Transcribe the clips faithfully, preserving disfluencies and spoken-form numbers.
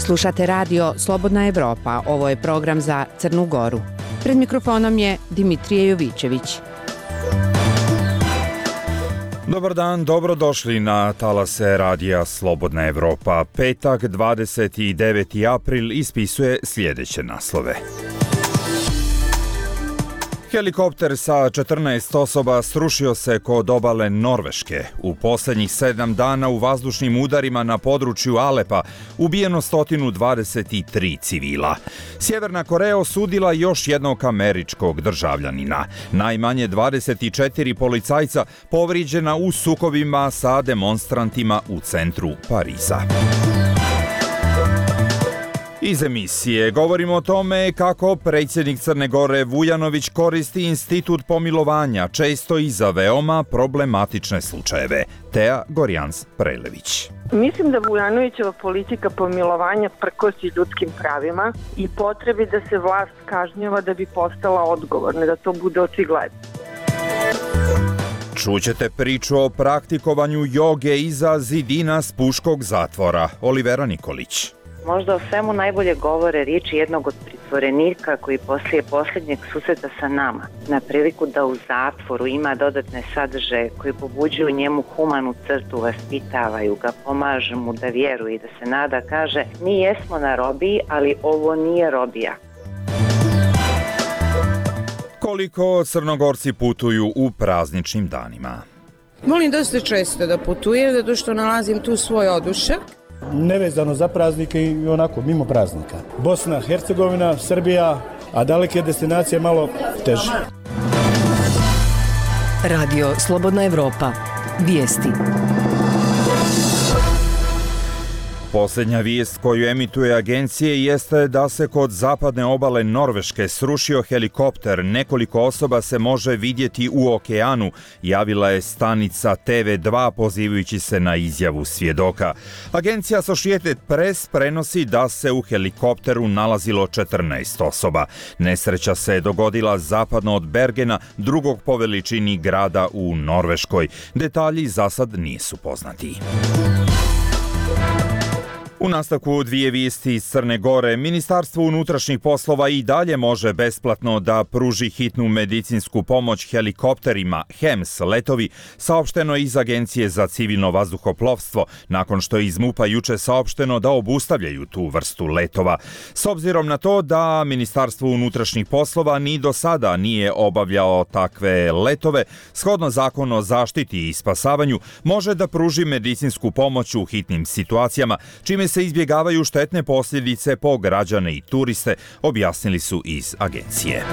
Slušate radio Slobodna Evropa, ovo je program za Crnu Goru. Pred mikrofonom je Dimitrije Jovićević. Dobar dan, dobrodošli na talase radija Slobodna Evropa. Petak, dvadeset deveti april, ispisuje sljedeće naslove. Helikopter sa četrnaest osoba srušio se kod obale Norveške. U posljednjih sedam dana u vazdušnim udarima na području Alepa ubijeno sto dvadeset tri civila. Sjeverna Koreja osudila još jednog američkog državljanina. Najmanje dvadeset četiri policajca povrijeđena u sukobima sa demonstrantima u centru Pariza. Iz emisije govorimo o tome kako predsjednik Crne Gore Vujanović koristi institut pomilovanja, često i za veoma problematične slučajeve. Teja Gorjans-Prelević. Mislim da Vujanovićeva politika pomilovanja prkosi ljudskim pravima i potrebi da se vlast kažnjava da bi postala odgovorna, da to bude očigledno. Čućete priču o praktikovanju joge iza zidina Spuškog zatvora. Olivera Nikolić. Možda o svemu najbolje govore riječi jednog od pritvorenika koji poslije posljednjeg susreta sa nama, na priliku da u zatvoru ima dodatne sadržaje koji pobuđuju njemu humanu crtu, vaspitavaju ga, pomažu mu da vjeruje i da se nada, kaže: mi jesmo na robiji, ali ovo nije robija. Koliko Crnogorci putuju u prazničnim danima? Volim dosta često da putujem, zato što nalazim tu svoj odušak. Nevezano za praznike i onako mimo praznika. Bosna, Hercegovina, Srbija, a daleke destinacije malo teže. Radio Slobodna Evropa. Vijesti. Posljednja vijest koju emituje agencije jeste da se kod zapadne obale Norveške srušio helikopter. Nekoliko osoba se može vidjeti u okeanu, javila je stanica T V dva pozivajući se na izjavu svjedoka. Agencija Associated Press prenosi da se u helikopteru nalazilo četrnaest osoba. Nesreća se dogodila zapadno od Bergena, drugog po veličini grada u Norveškoj. Detalji za sad nisu poznati. U nastavku dvije vijesti iz Crne Gore. Ministarstvo unutrašnjih poslova i dalje može besplatno da pruži hitnu medicinsku pomoć helikopterima H E M S letovi, saopšteno iz Agencije za civilno vazduhoplovstvo, nakon što je iz MUP-a juče saopšteno da obustavljaju tu vrstu letova. S obzirom na to da Ministarstvo unutrašnjih poslova ni do sada nije obavljao takve letove, shodno Zakonu o zaštiti i spasavanju može da pruži medicinsku pomoć u hitnim situacijama, čime se izbjegavaju štetne posljedice po građane i turiste, objasnili su iz agencije.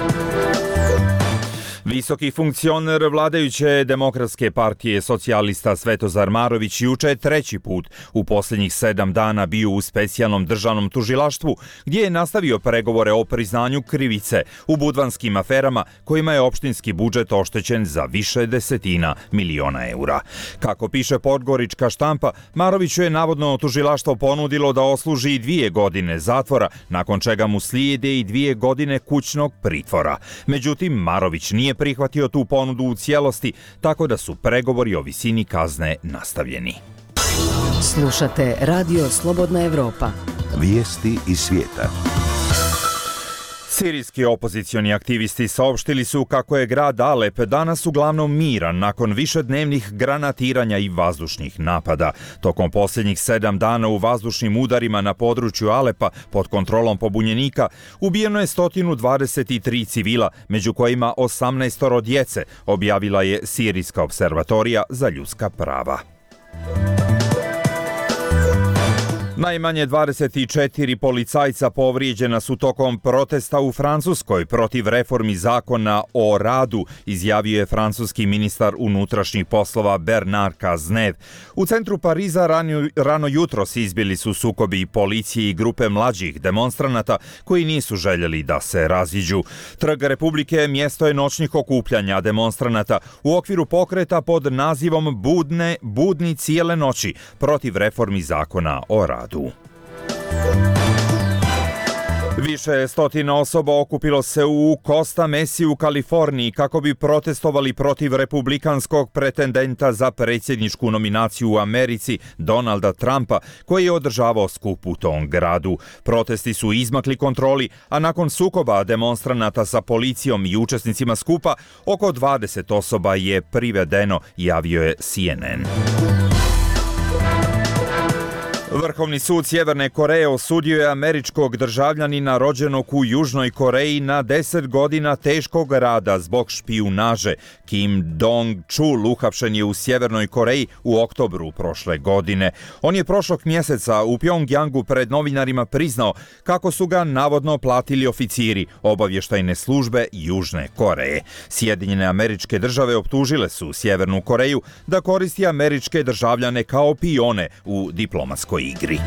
Visoki funkcioner vladajuće Demokratske partije socijalista Svetozar Marović juče je treći put u posljednjih sedam dana bio u specijalnom državnom tužilaštvu, gdje je nastavio pregovore o priznanju krivice u budvanskim aferama kojima je opštinski budžet oštećen za više desetina miliona eura. Kako piše podgorička štampa, Maroviću je navodno tužilaštvo ponudilo da osluži dvije godine zatvora, nakon čega mu slijede i dvije godine kućnog pritvora. Međutim, Marović nije prihvatio tu ponudu u cijelosti, tako da su pregovori o visini kazne nastavljeni. Slušate Radio Slobodna Evropa. Vijesti iz svijeta. Sirijski opozicioni aktivisti saopštili su kako je grad Alep danas uglavnom miran nakon višednevnih granatiranja i vazdušnih napada. Tokom posljednjih sedam dana u vazdušnim udarima na području Alepa pod kontrolom pobunjenika ubijeno je sto dvadeset tri civila, među kojima osamnaest djece, objavila je Sirijska observatorija za ljudska prava. Najmanje dvadeset četiri policajca povrijeđena su tokom protesta u Francuskoj protiv reformi zakona o radu, izjavio je francuski ministar unutrašnjih poslova Bernard Cazeneuve. U centru Pariza rano, rano jutros izbili su sukobi policije i grupe mlađih demonstranata koji nisu željeli da se raziđu. Trg Republike mjesto je noćnih okupljanja demonstranata u okviru pokreta pod nazivom Budne, budni cijele noći protiv reformi zakona o radu. Više stotina osoba okupilo se u Costa Mesi u Kaliforniji kako bi protestovali protiv republikanskog pretendenta za predsjedničku nominaciju u Americi, Donalda Trumpa, koji je održavao skup u tom gradu. Protesti su izmakli kontroli, a nakon sukoba demonstranata sa policijom i učesnicima skupa, oko dvadeset osoba je privedeno, javio je C N N. Vrhovni sud Sjeverne Koreje osudio je američkog državljanina rođenog u Južnoj Koreji na deset godina teškog rada zbog špijunaže. Kim Dong-chul uhapšen je u Sjevernoj Koreji u oktobru prošle godine. On je prošlog mjeseca u Pjongjangu pred novinarima priznao kako su ga navodno platili oficiri obavještajne službe Južne Koreje. Sjedinjene Američke Države optužile su Sjevernu Koreju da koristi američke državljane kao pione u diplomatskoj igri.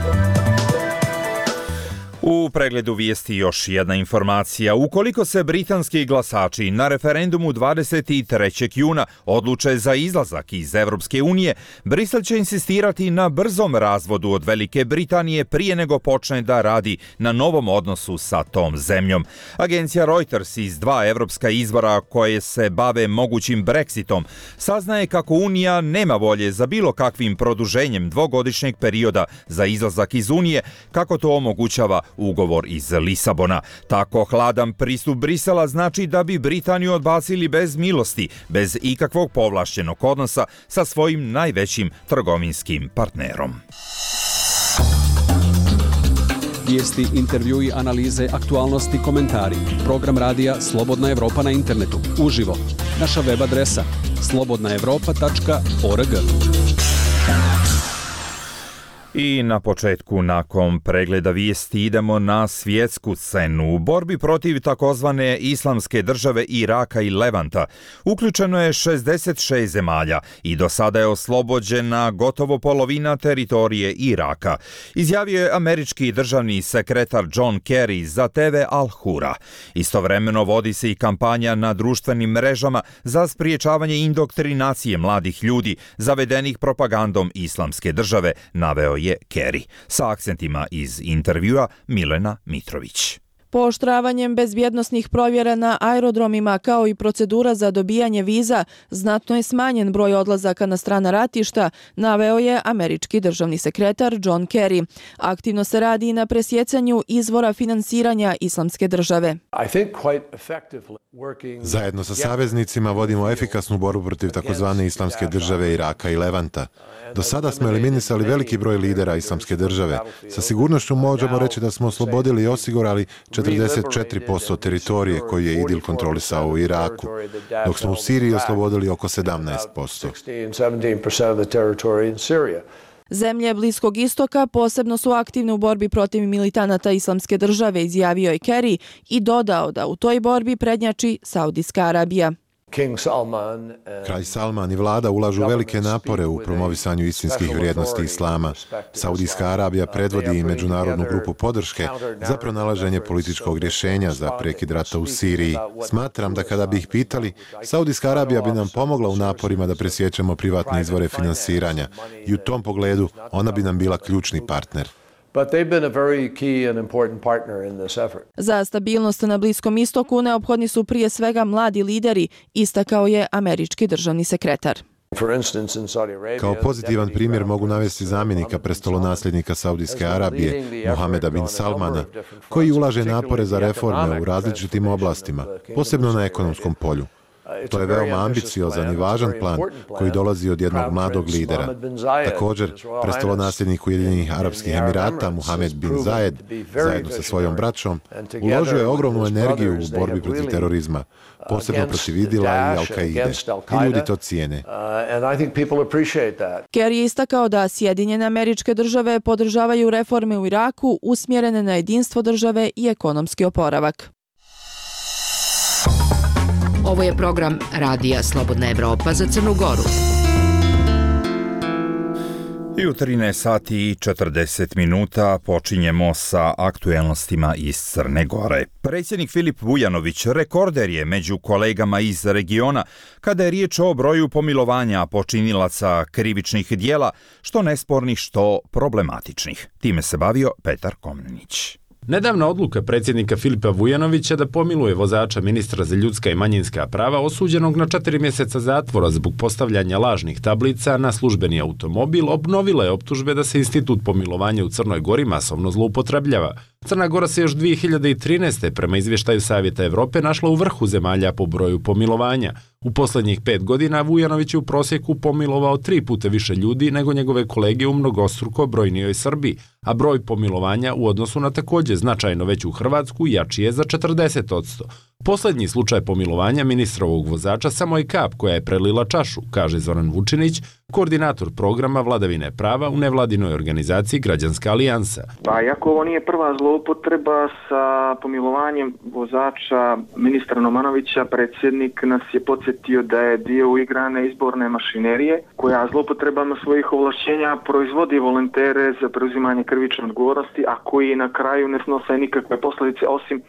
U pregledu vijesti još jedna informacija. Ukoliko se britanski glasači na referendumu dvadeset trećeg juna odluče za izlazak iz Europske unije, Brisel će insistirati na brzom razvodu od Velike Britanije prije nego počne da radi na novom odnosu sa tom zemljom. Agencija Reuters iz dva europska izvora koje se bave mogućim Brexitom saznaje kako Unija nema volje za bilo kakvim produženjem dvogodišnjeg perioda za izlazak iz Unije, kako to omogućava ugovor iz Lisabona. Tako hladan pristup Brisela znači da bi Britaniju odbacili bez milosti, bez ikakvog povlašćenog odnosa sa svojim najvećim trgovinskim partnerom. Vijesti, intervjui, analize, aktualnosti, komentari. Program radija Slobodna Evropa na internetu. Uživo. Naša web adresa slobodna evropa tačka org. I na početku, nakon pregleda vijesti, idemo na svjetsku scenu. U borbi protiv takozvane islamske države Iraka i Levanta uključeno je šezdeset šest zemalja i do sada je oslobođena gotovo polovina teritorije Iraka, izjavio je američki državni sekretar John Kerry za T V Al Hura. Istovremeno vodi se i kampanja na društvenim mrežama za spriječavanje indoktrinacije mladih ljudi zavedenih propagandom islamske države, naveo je Kerry. Sa akcentima iz intervjua Milena Mitrović. Pooštravanjem bezbjednosnih provjera na aerodromima kao i procedura za dobijanje viza, znatno je smanjen broj odlazaka na strana ratišta, naveo je američki državni sekretar John Kerry. Aktivno se radi na presjecanju izvora finansiranja islamske države. Zajedno sa saveznicima vodimo efikasnu borbu protiv takozvane islamske države Iraka i Levanta. Do sada smo eliminisali veliki broj lidera islamske države. Sa sigurnošću možemo reći da smo oslobodili i osigurali četrdeset četiri posto teritorije koju je IDIL kontrolisao u Iraku, dok smo u Siriji oslobodili oko sedamnaest posto. Zemlje Bliskog istoka posebno su aktivne u borbi protiv militanata islamske države, izjavio je Kerry i dodao da u toj borbi prednjači Saudijska Arabija. Kralj Salman i vlada ulažu velike napore u promovisanju istinskih vrijednosti islama. Saudijska Arabija predvodi i međunarodnu grupu podrške za pronalaženje političkog rješenja za prekid rata u Siriji. Smatram da kada bi ih pitali, Saudijska Arabija bi nam pomogla u naporima da presjećemo privatne izvore finansiranja i u tom pogledu ona bi nam bila ključni partner. But they've been a very key and important partner in this effort. Za stabilnost na Bliskom istoku neophodni su prije svega mladi lideri, istakao je američki državni sekretar. Kao pozitivan primjer mogu navesti zamjenika prestolonasljednika Saudijske Arabije, Mohameda bin Salmana, koji ulaže napore za reforme u različitim oblastima, posebno na ekonomskom polju. To je veoma ambiciozan i važan plan koji dolazi od jednog mladog lidera. Također, prestolonasljednik Ujedinjenih Arapskih Emirata, Mohamed bin Zayed, zajedno sa svojom braćom, uložio je ogromnu energiju u borbi protiv terorizma, posebno protiv Idila i Al-Kaide. I ljudi to cijene. Kerry je istakao da Sjedinjene Američke Države podržavaju reforme u Iraku usmjerene na jedinstvo države i ekonomski oporavak. Ovo je program Radija Slobodna Evropa za Crnu Goru. I u trinaest sati i četrdeset minuta počinjemo sa aktuelnostima iz Crne Gore. Predsjednik Filip Vujanović rekorder je među kolegama iz regiona kada je riječ o broju pomilovanja počinilaca krivičnih dijela, što nespornih, što problematičnih. Time se bavio Petar Komnenić. Nedavna odluka predsjednika Filipa Vujanovića da pomiluje vozača ministra za ljudska i manjinska prava osuđenog na četiri mjeseca zatvora zbog postavljanja lažnih tablica na službeni automobil obnovila je optužbe da se institut pomilovanja u Crnoj Gori masovno zloupotrebljava. Crna Gora se još dvije hiljade trinaeste. prema izvještaju Savjeta Evrope našla u vrhu zemalja po broju pomilovanja. U posljednjih pet godina Vujanović je u prosjeku pomilovao tri puta više ljudi nego njegove kolege u mnogostruko brojnijoj Srbiji, a broj pomilovanja u odnosu na također značajno veću Hrvatsku jači je za četrdeset posto. Posljednji slučaj pomilovanja ministrovog vozača samo je kap koja je prelila čašu, kaže Zoran Vučinić, koordinator programa vladavine prava u nevladinoj organizaciji Građanska alijansa. Pa iako ovo nije prva zloupotreba sa pomilovanjem vozača ministra Nomanovića, predsjednik nas je podsjetio da je dio uigrane izborne mašinerije koja zloupotrebama svojih ovlašćenja proizvodi volontere za preuzimanje krivične odgovornosti, a koji na kraju ne snose nikakve posljedice osim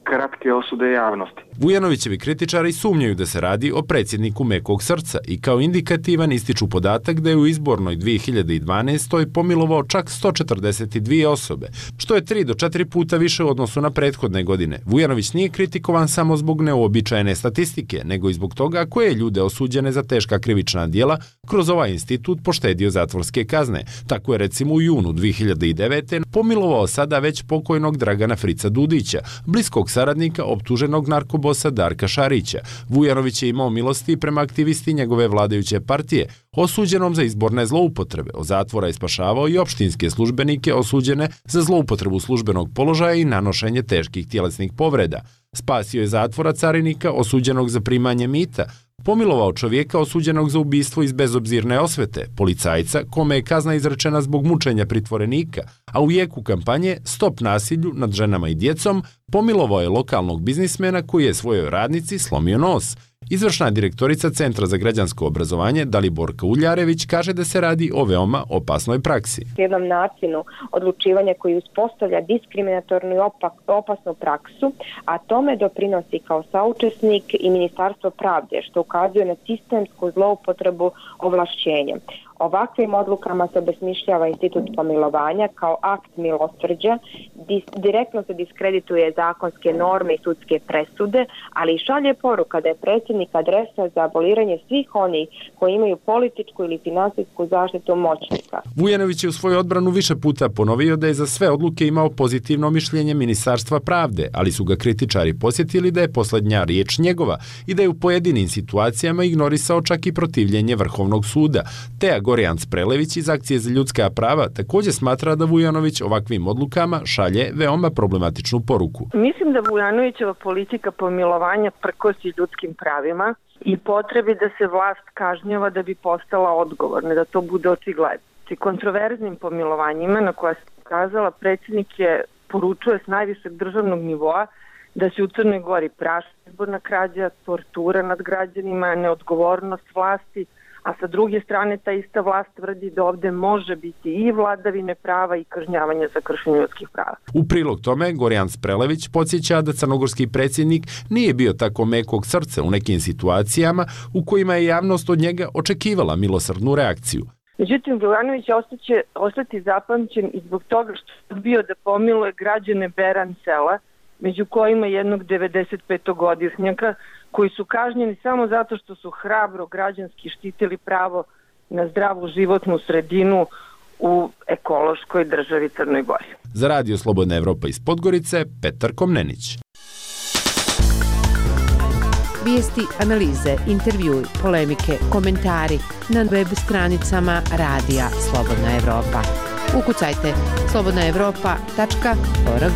kratke osude javnosti. Vujanovićevi kritičari sumnjaju da se radi o predsjedniku mekog srca i kao indikativan ističu podatak da je u izbornoj dvije hiljade dvanaestoj pomilovao čak sto četrdeset dvije osobe, što je tri do četiri puta više u odnosu na prethodne godine. Vujanović nije kritikovan samo zbog neuobičajene statistike, nego i zbog toga koje je ljude osuđene za teška krivična djela kroz ovaj institut poštedio zatvorske kazne. Tako je recimo u junu dvije hiljade devete. pomilovao sada već pokojnog Dragana Frica Dudića, bliskog saradnika optuženog narkobosa Darka Šarića. Vujanović je imao milosti prema aktivisti njegove vladajuće partije, osuđenom za izborne zloupotrebe. Od zatvora je spašavao i opštinske službenike osuđene za zloupotrebu službenog položaja i nanošenje teških tjelesnih povreda. Spasio je zatvora carinika osuđenog za primanje mita, pomilovao čovjeka osuđenog za ubistvo iz bezobzirne osvete, policajca kome je kazna izrečena zbog mučenja pritvorenika, a u jeku kampanje Stop nasilju nad ženama i djecom pomilovao je lokalnog biznismena koji je svojoj radnici slomio nos. Izvršna direktorica Centra za građansko obrazovanje Daliborka Uljarević kaže da se radi o veoma opasnoj praksi. Jednom načinu odlučivanja koji uspostavlja diskriminatornu i opak, opasnu praksu, a tome doprinosi kao saučesnik i Ministarstvo pravde, što ukazuje na sistemsku zloupotrebu ovlašćenja. Ovakvim odlukama se obesmišljava institut pomilovanja kao akt milosrđa, direktno se diskredituje zakonske norme i sudske presude, ali i šalje poruka da je predsjednik adresa za aboliranje svih onih koji imaju političku ili finansijsku zaštitu moćnika. Vujanović je u svoju odbranu više puta ponovio da je za sve odluke imao pozitivno mišljenje Ministarstva pravde, ali su ga kritičari posjetili da je posljednja riječ njegova i da je u pojedinim situacijama ignorisao čak i protivljenje Vrhovnog suda. Teja Gorjan Sprelević iz Akcije za ljudska prava također smatra da Vujanović ovakvim odlukama šalje veoma problematičnu poruku. Mislim da Vujanovićeva politika pomilovanja prkosi ljudskim pravima i potrebi da se vlast kažnjava da bi postala odgovorna, da to bude očigledno. I kontroverznim pomilovanjima na koja se ukazala, predsjednik je poručuje s najvišeg državnog nivoa da se u Crnoj Gori praši izborna krađa, tortura nad građanima, neodgovornost vlasti, a sa druge strane ta ista vlast tvrdi da ovdje može biti i vladavine prava i kažnjavanja za kršenje ljudskih prava. U prilog tome, Gorjan Sprelević podsjeća da crnogorski predsjednik nije bio tako mekog srca u nekim situacijama u kojima je javnost od njega očekivala milosrdnu reakciju. Međutim, Vujanović će ostati zapamćen i zbog toga što je bio da pomiluje građane Beran sela, među kojima jednog devedesetpetogodišnjaka, koji su kažnjeni samo zato što su hrabro građanski štitili pravo na zdravu životnu sredinu u ekološkoj državi Crnoj Gori. Za Radio Slobodna Evropa iz Podgorice, Petar Komnenić. Vijesti, analize, intervjui, polemike, komentari na web stranicama Radija Slobodna Evropa. Ukucajte slobodna evropa tačka org.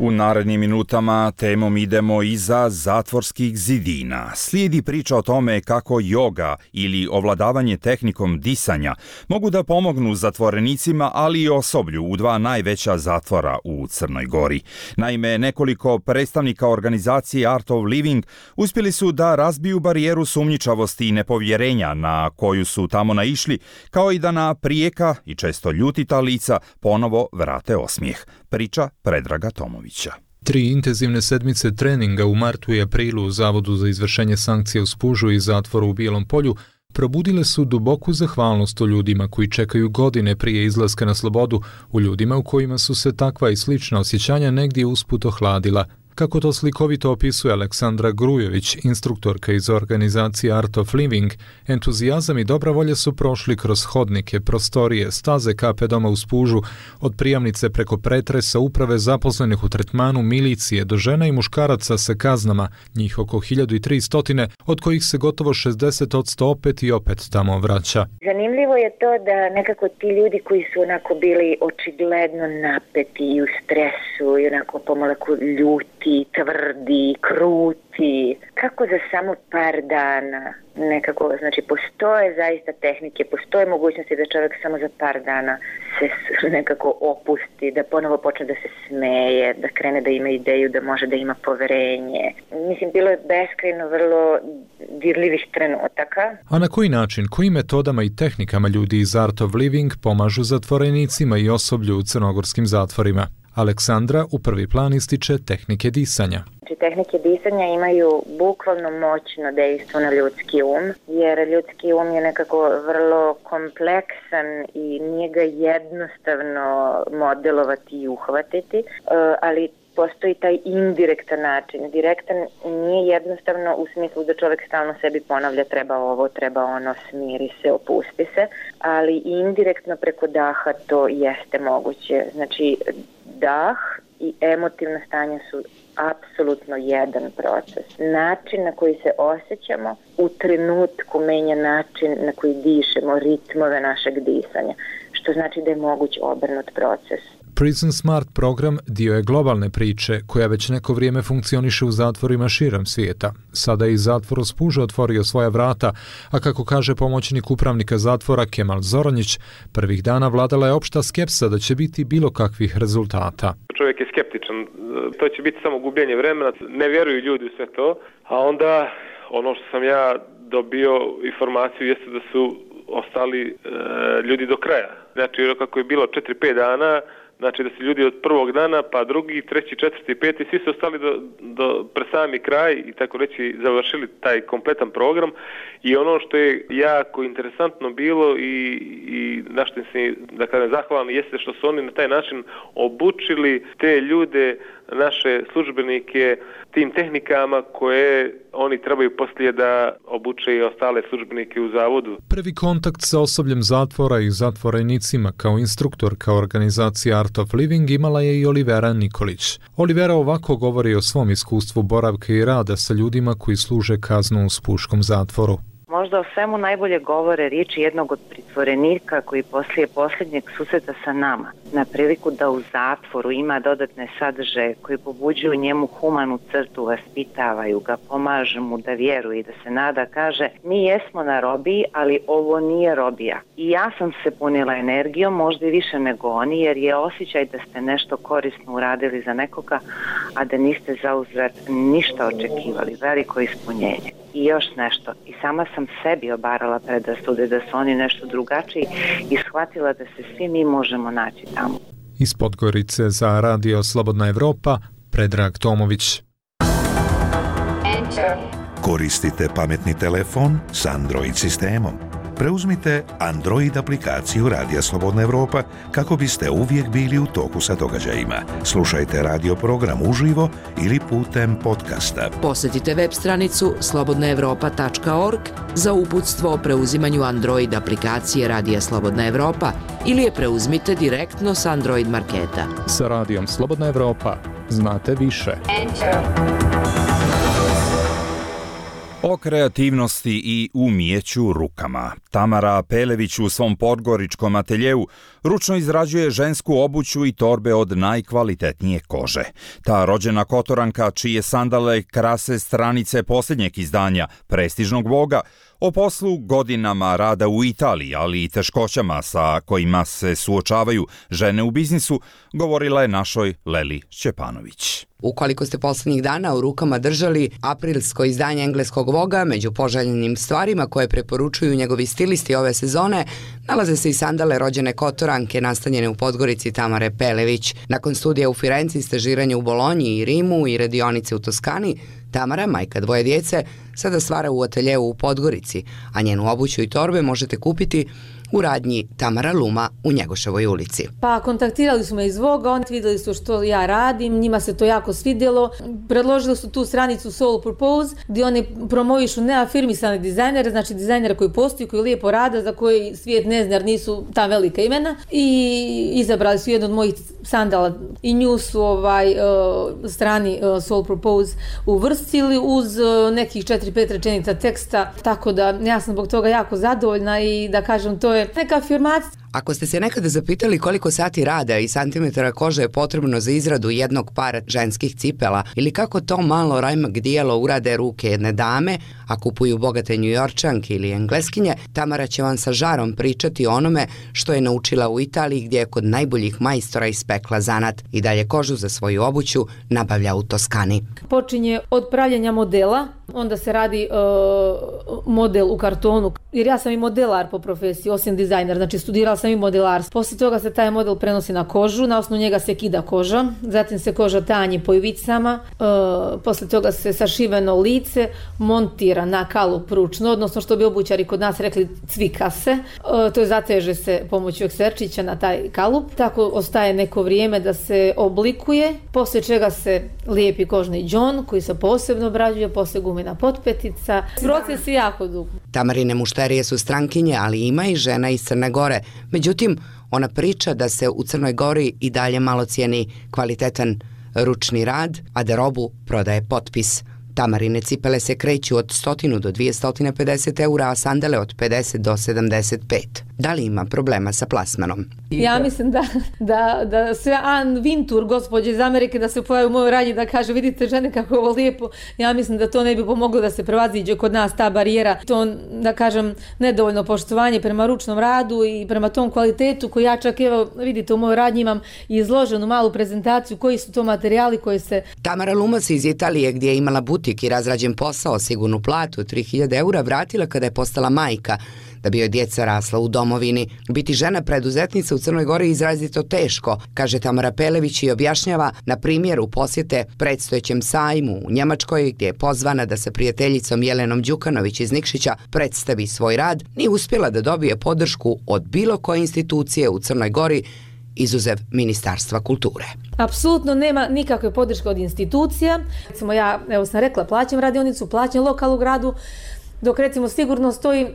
U narednim minutama temom idemo iza zatvorskih zidina. Slijedi priča o tome kako joga ili ovladavanje tehnikom disanja mogu da pomognu zatvorenicima, ali i osoblju u dva najveća zatvora u Crnoj Gori. Naime, nekoliko predstavnika organizacije Art of Living uspjeli su da razbiju barijeru sumnjičavosti i nepovjerenja na koju su tamo naišli, kao i da na prijeka i često ljutita lica ponovo vrate osmijeh. Priča Predraga Tomovića. Tri intenzivne sedmice treninga u martu i aprilu u Zavodu za izvršenje sankcija u Spužu i zatvoru u Bijelom Polju probudile su duboku zahvalnost u ljudima koji čekaju godine prije izlaska na slobodu, u ljudima u kojima su se takva i slična osjećanja negdje usput ohladila. Kako to slikovito opisuje Aleksandra Grujević, instruktorka iz organizacije Art of Living, entuzijazam i dobra volja su prošli kroz hodnike, prostorije, staze kape doma u Spužu, od prijamnice preko pretresa, uprave zaposlenih u tretmanu, milicije, do žena i muškaraca sa kaznama, njih oko hiljadu tristo, od kojih se gotovo šezdeset posto opet i opet tamo vraća. Zanimljivo je to da nekako ti ljudi koji su onako bili očigledno napeti i u stresu i onako pomalaku ljuti, tvrdi, kruti, kako za samo par dana nekako, znači postoje zaista tehnike, postoje mogućnosti da čovjek samo za par dana se nekako opusti, da ponovo počne da se smeje, da krene da ima ideju, da može da ima poverenje. Mislim, bilo je beskrajno vrlo dirljivih trenutaka. A na koji način, kojim metodama i tehnikama ljudi iz Art of Living pomažu zatvorenicima i osoblju u crnogorskim zatvorima? Aleksandra u prvi plan ističe tehnike disanja. Znači, tehnike disanja imaju bukvalno moćno dejstvo na ljudski um, jer ljudski um je nekako vrlo kompleksan i nije ga jednostavno modelovati i uhvatiti, ali postoji taj indirektan način. Direktan nije jednostavno u smislu da čovjek stalno sebi ponavlja treba ovo, treba ono, smiri se, opusti se, ali indirektno preko daha to jeste moguće. Znači, dah i emotivno stanje su apsolutno jedan proces. Način na koji se osjećamo u trenutku menja način na koji dišemo, ritmove našeg disanja, što znači da je moguć obrnut proces. Prison Smart program dio je globalne priče koja već neko vrijeme funkcioniše u zatvorima širom svijeta. Sada je i zatvor u Spužu otvorio svoja vrata, a kako kaže pomoćnik upravnika zatvora Kemal Zoranjić, prvih dana vladala je opšta skepsa da će biti bilo kakvih rezultata. Čovjek je skeptičan, to će biti samo gubljenje vremena, ne vjeruju ljudi u sve to, a onda ono što sam ja dobio informaciju jeste da su ostali e, ljudi do kraja. Znači kako je bilo četiri pet dana, znači da su ljudi od prvog dana, pa drugi, treći, četvrti, peti, svi su ostali do, do pre sami kraj i tako reći završili taj kompletan program. I ono što je jako interesantno bilo i, i na što se, da kažem, zahvalni jeste što su oni na taj način obučili te ljude, naše službenike, tim tehnikama koje oni trebaju poslije da obuče i ostale službenike u zavodu. Prvi kontakt sa osobljem zatvora i zatvorenicima kao instruktorka organizacije Art of Living imala je i Olivera Nikolić. Olivera ovako govori o svom iskustvu boravka i rada sa ljudima koji služe kaznu u Spuškom zatvoru. Možda o svemu najbolje govore riječi jednog od pritvorenika koji poslije posljednjeg susreta sa nama, na priliku da u zatvoru ima dodatne sadržaje koji pobuđuju njemu humanu crtu, vaspitavaju ga, pomažu mu da vjeruje i da se nada, kaže mi jesmo na robiji, ali ovo nije robija. I ja sam se punila energijom, možda i više nego oni, jer je osjećaj da ste nešto korisno uradili za nekoga, a da niste zauzvrat ništa očekivali, veliko ispunjenje. I još nešto, i sama sam sebi obarala predrasude da su oni nešto drugačiji i shvatila da se svi mi možemo naći tamo. Iz Podgorice za Radio Slobodna Evropa, Predrag Tomović. Koristite pametni telefon s Android sistemom. Preuzmite Android aplikaciju Radija Slobodna Evropa kako biste uvijek bili u toku sa događajima. Slušajte radio program uživo ili putem podcasta. Posjetite web stranicu slobodna evropa tačka org za uputstvo o preuzimanju Android aplikacije Radija Slobodna Evropa ili je preuzmite direktno s Android marketa. Sa Radijom Slobodna Evropa znate više. O kreativnosti i umijeću rukama. Tamara Pelević u svom podgoričkom ateljeu ručno izrađuje žensku obuću i torbe od najkvalitetnije kože. Ta rođena Kotoranka, čije sandale krase stranice posljednjeg izdanja prestižnog Voga, o poslu, godinama rada u Italiji, ali i teškoćama sa kojima se suočavaju žene u biznisu, govorila je našoj Leli Šćepanović. Ukoliko ste posljednjih dana u rukama držali aprilsko izdanje engleskog Voga, među poželjenim stvarima koje preporučuju njegovi stilisti ove sezone, nalaze se i sandale rođene Kotoranke nastanjene u Podgorici Tamare Pelević. Nakon studija u Firenci, stažiranja u Bolonji i Rimu i radionice u Toskani, Tamara, majka dvoje djece, sada stvara u ateljeu u Podgorici, a njenu obuću i torbe možete kupiti u radnji Tamara Luma u Njegoševoj ulici. Pa kontaktirali su me iz Voga, oni vidjeli su što ja radim, njima se to jako svidjelo. Predložili su tu stranicu Soul Purpose gdje oni promovišu neafirmisane dizajnere, znači dizajnere koji postoji, koji lijepo rade, za koji svijet ne zna jer nisu ta velika imena. I izabrali su jednu od mojih sandala i nju su ovaj, uh, strani uh, Soul Purpose uvrstili uz uh, nekih četiri pet rečenica teksta, tako da ja sam zbog toga jako zadovoljna i da kažem to je neka afirmacija. Ako ste se nekada zapitali koliko sati rada i santimetara kože je potrebno za izradu jednog para ženskih cipela ili kako to malo rajmak dijelo urade ruke jedne dame, a kupuju bogate Njujorčanke ili Engleskinje, Tamara će vam sa žarom pričati o onome što je naučila u Italiji gdje je kod najboljih majstora ispekla zanat i dalje kožu za svoju obuću nabavlja u Toskani. Počinje od pravljenja modela, onda se radi uh, model u kartonu, jer ja sam i modelar po profesiji, osim dizajner, znači studirala sam i modelarstvo. Poslije toga se taj model prenosi na kožu, na osnovu njega se kida koža, zatim se koža tanji po ivicama, uh, poslije toga se sašiveno lice montira na kalup ručno, odnosno što bi obućari kod nas rekli cvika se, uh, to je zateže se pomoću ekserčića na taj kalup, tako ostaje neko vrijeme da se oblikuje, poslije čega se lijepi kožni đon koji se posebno obrađuje, poslije gumena potpetica. Proces je jako dug. Tamarine mušterije su strankinje, ali ima i žena iz Crne Gore. Međutim, ona priča da se u Crnoj Gori i dalje malo cijeni kvalitetan ručni rad, a da robu prodaje potpis. Tamarine cipele se kreću od sto do dvjesto pedeset eura, a sandale od pedeset do sedamdeset pet. Da li ima problema sa plasmanom? Ja mislim da, da, da sve Ann Vintur, gospođe iz Amerike, da se pojavi u mojoj radnji da kaže vidite žene kako je ovo lijepo, ja mislim da to ne bi pomoglo da se prevaziđe kod nas ta barijera. To, da kažem, nedovoljno poštovanje prema ručnom radu i prema tom kvalitetu koji ja čak, evo, vidite u mojoj radnji imam izloženu malu prezentaciju koji su to materijali koji se... Tamara Lumas iz Italije gdje je imala butik i razrađen posao, sigurnu platu tri hiljade eura, vratila kada je postala majka, da bi joj djeca rasla u domovini. Biti žena preduzetnica u Crnoj Gori je izrazito teško, kaže Tamara Pelević i objašnjava na primjeru posjete predstojećem sajmu u Njemačkoj gdje je pozvana da sa prijateljicom Jelenom Đukanović iz Nikšića predstavi svoj rad, nije uspjela da dobije podršku od bilo koje institucije u Crnoj Gori, izuzev Ministarstva kulture. Apsolutno nema nikakve podrške od institucija. Recimo ja, evo sam rekla, plaćam radionicu, plaćam lokal u gradu, dok recimo sigurno stoji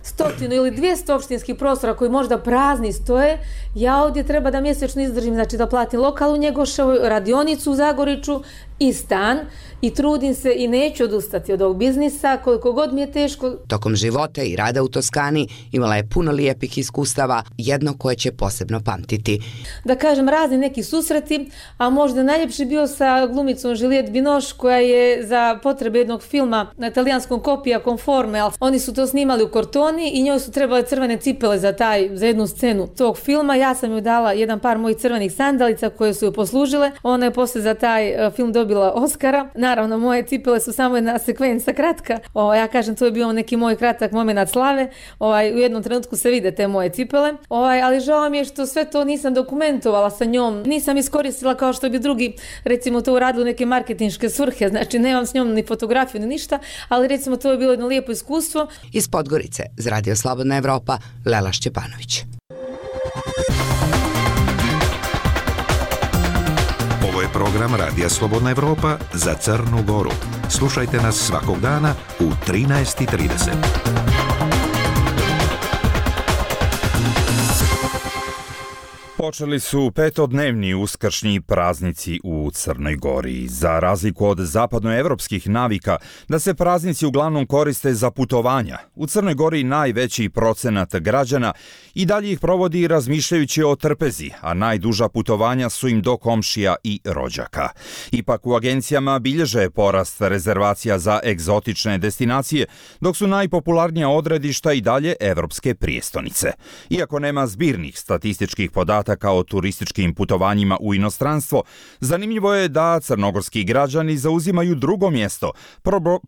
stotinu ili dvjesto opštinskih prostora koji možda prazni stoje, ja ovdje treba da mjesečno izdržim, znači da platim lokal u Njegoševoj, radionicu u Zagoriću i stan i trudim se i neću odustati od ovog biznisa koliko god mi je teško. Tokom života i rada u Toskani imala je puno lijepih iskustava, jedno koje će posebno pamtiti. Da kažem, razni neki susreti, a možda najljepši bio sa glumicom Juliette Binoche koja je za potrebe jednog filma na italijanskom Kopija Conforme, ali oni su to snimali u Cortoni i njoj su trebale crvene cipele za, taj, za jednu scenu tog filma. Ja sam joj dala jedan par mojih crvenih sandalica koje su joj poslužile. Ona je posle za taj film dobila Oscara. Naravno, moje cipele su samo jedna sekvenca kratka. O, ja kažem, to je bio neki moj kratak moment slave. Ovaj, u jednom trenutku se vide te moje cipele. Ovaj, ali žao mi je što sve to nisam dokumentovala sa njom. Nisam iskoristila kao što bi drugi, recimo, to uradili u neke marketinške svrhe. Znači, nemam s njom ni fotografiju ni ništa, ali recimo to je bilo jedno lijepo iskustvo. Iz Podgorice, za Radio Slobodna Evropa, Lela Šćepanović. Ovo je program Radija Slobodna Evropa za Crnu Goru. Slušajte nas svakog dana u trinaest i trideset. Počeli su petodnevni uskršnji praznici u Crnoj Gori. Za razliku od zapadnoevropskih navika da se praznici uglavnom koriste za putovanja, u Crnoj Gori najveći procenat građana i dalje ih provodi razmišljajući o trpezi, a najduža putovanja su im do komšija i rođaka. Ipak u agencijama bilježe porast rezervacija za egzotične destinacije, dok su najpopularnija odredišta i dalje evropske prijestonice. Iako nema zbirnih statističkih podataka o turističkim putovanjima u inostranstvo, zanimljivo je da crnogorski građani zauzimaju drugo mjesto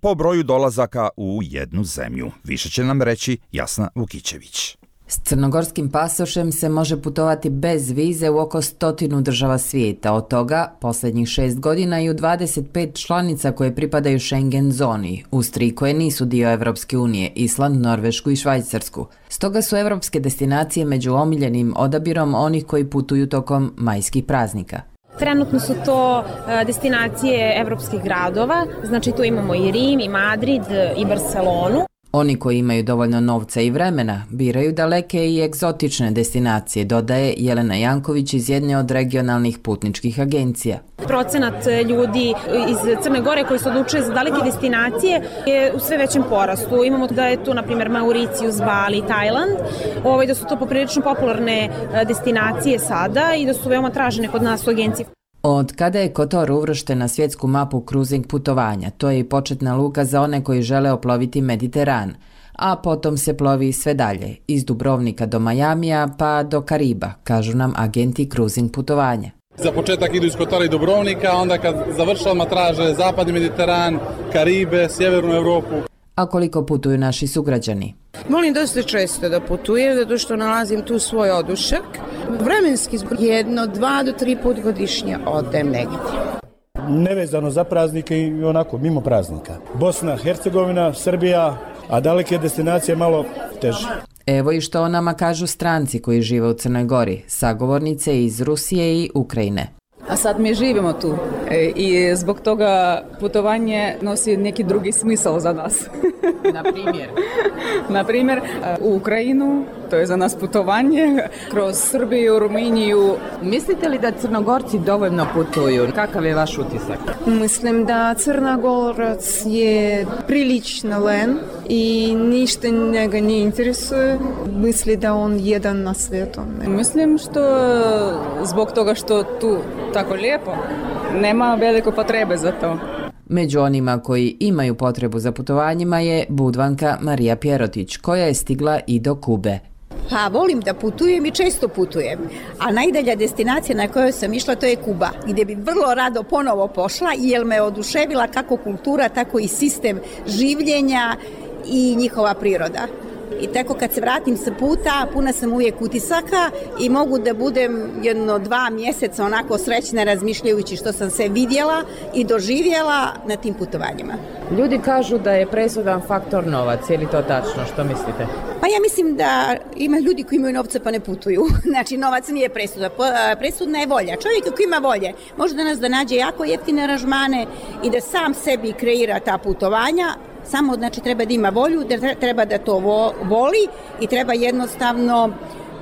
po broju dolazaka u jednu zemlju. Više će nam reći Jasna Vukićević. S crnogorskim pasošem se može putovati bez vize u oko stotinu država svijeta, od toga posljednjih šest godina i u dvadeset pet članica koje pripadaju Schengen zoni, uz tri koje nisu dio Evropske unije, Island, Norvešku i Švajcarsku. Stoga su evropske destinacije među omiljenim odabirom onih koji putuju tokom majskih praznika. Trenutno su to destinacije evropskih gradova, znači tu imamo i Rim, i Madrid, i Barcelonu. Oni koji imaju dovoljno novca i vremena biraju daleke i egzotične destinacije, dodaje Jelena Janković iz jedne od regionalnih putničkih agencija. Procenat ljudi iz Crne Gore koji se odlučuje za daleke destinacije je u sve većem porastu. Imamo da je tu, na primjer, Mauricijus, Bali, Tajland, ovaj, da su to poprilično popularne destinacije sada i da su veoma tražene kod nas u agenciji. Od kada je Kotor uvršten na svjetsku mapu cruising putovanja, to je i početna luka za one koji žele oploviti Mediteran, a potom se plovi sve dalje, iz Dubrovnika do Majamija pa do Kariba, kažu nam agenti cruising putovanja. Za početak idu iz Kotora i Dubrovnika, onda kad završavamo traže Zapadni Mediteran, Karibe, Sjevernu Europu. A koliko putuju naši sugrađani? Volim dosta često da putujem, zato što nalazim tu svoj odušak. Vremenski jedno, dva do tri put godišnje odem negdje. Nevezano za praznike i onako, mimo praznika. Bosna, Hercegovina, Srbija, a daleke destinacije malo teže. Evo i što o nama kažu stranci koji žive u Crnoj Gori, sagovornice iz Rusije i Ukrajine. A sad mi živimo tu i zbog toga putovanje nosi neki drugi smisao za nas. Na primjer? Na primjer, u Ukrajinu, to je za nas putovanje, kroz Srbiju, Rumuniju. Mislite li da Crnogorci dovoljno putuju? Kakav je vaš utisak? Mislim da Crnogorac je prilično len i ništa njega ne interesuje. Misli da on jedan na svijetu. Mislim što zbog toga što tu tako lijepo, nema veliko potrebe za to. Među onima koji imaju potrebu za putovanjima je Budvanka Marija Pjerotić, koja je stigla i do Kube. Pa volim da putujem i često putujem, a najdalja destinacija na kojoj sam išla to je Kuba, gdje bi vrlo rado ponovo pošla jer me oduševila kako kultura, tako i sistem življenja i njihova priroda. I tako kad se vratim sa puta, puna sam uvijek utisaka i mogu da budem jedno dva mjeseca onako srećna razmišljajući što sam se vidjela i doživjela na tim putovanjima. Ljudi kažu da je presudan faktor novac, je li to tačno? Što mislite? Pa ja mislim da ima ljudi koji imaju novca pa ne putuju. Znači novac nije presuda, presudna je volja. Čovjek koji ima volje može danas da nađe jako jeftine aranžmane i da sam sebi kreira ta putovanja. Samo znači treba da ima volju, da treba da to voli i treba jednostavno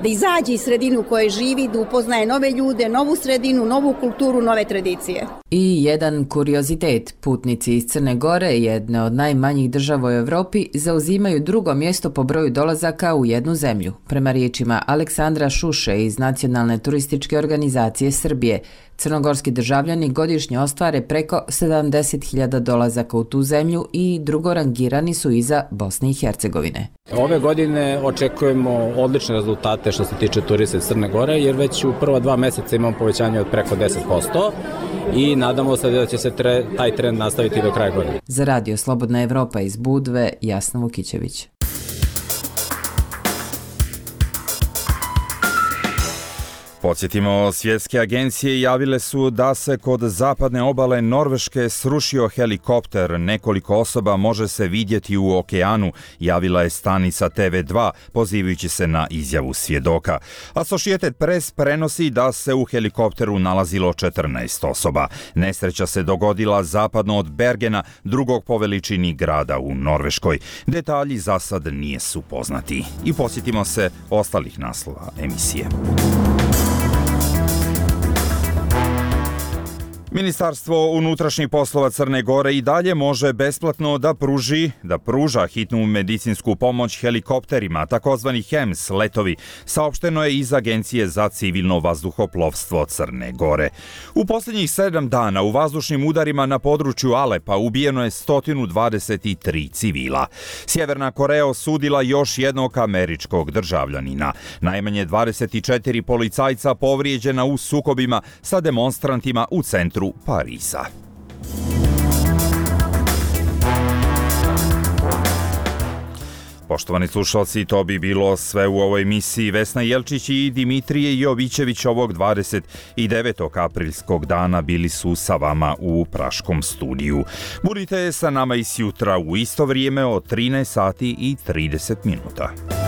da izađe iz sredinu u kojoj živi, da upoznaje nove ljude, novu sredinu, novu kulturu, nove tradicije. I jedan kuriozitet, putnici iz Crne Gore, jedne od najmanjih država u Europi, zauzimaju drugo mjesto po broju dolazaka u jednu zemlju. Prema riječima Aleksandra Šuše iz Nacionalne turističke organizacije Srbije, crnogorski državljani godišnje ostvare preko sedamdeset hiljada dolazaka u tu zemlju i drugorangirani su iza Bosne i Hercegovine. Ove godine očekujemo odlične rezultate što se tiče turista iz Crne Gore, jer već u prva dva mjeseca imamo povećanje od preko deset posto i nadamo se da će se tre, taj trend nastaviti do kraja godine. Za Radio Slobodna Evropa iz Budve, Jasna Vukićević. Podsjetimo, svjetske agencije javile su da se kod zapadne obale Norveške srušio helikopter. Nekoliko osoba može se vidjeti u okeanu, javila je stanica T V dva, pozivajući se na izjavu svjedoka. Associated Press prenosi da se u helikopteru nalazilo četrnaest osoba. Nesreća se dogodila zapadno od Bergena, drugog po veličini grada u Norveškoj. Detalji za sad nisu poznati. I podsjetimo se ostalih naslova emisije. Ministarstvo unutrašnjih poslova Crne Gore i dalje može besplatno da pruži, da pruža hitnu medicinsku pomoć helikopterima, takozvani H E M S letovi, saopšteno je iz Agencije za civilno vazduhoplovstvo Crne Gore. U posljednjih sedam dana u vazdušnim udarima na području Alepa ubijeno je sto dvadeset tri civila. Sjeverna Koreja osudila još jednog američkog državljanina. Najmanje dvadeset četiri policajca povrijeđena u sukobima sa demonstrantima u centru Pariza. Poštovani slušalci, to bi bilo sve u ovoj emisiji. Vesna Jelčić i Dimitrije Jovićević ovog dvadeset devetog aprilskog dana bili su sa vama u Praškom studiju. Budite sa nama i sjutra u isto vrijeme od trinaest sati i trideset minuta.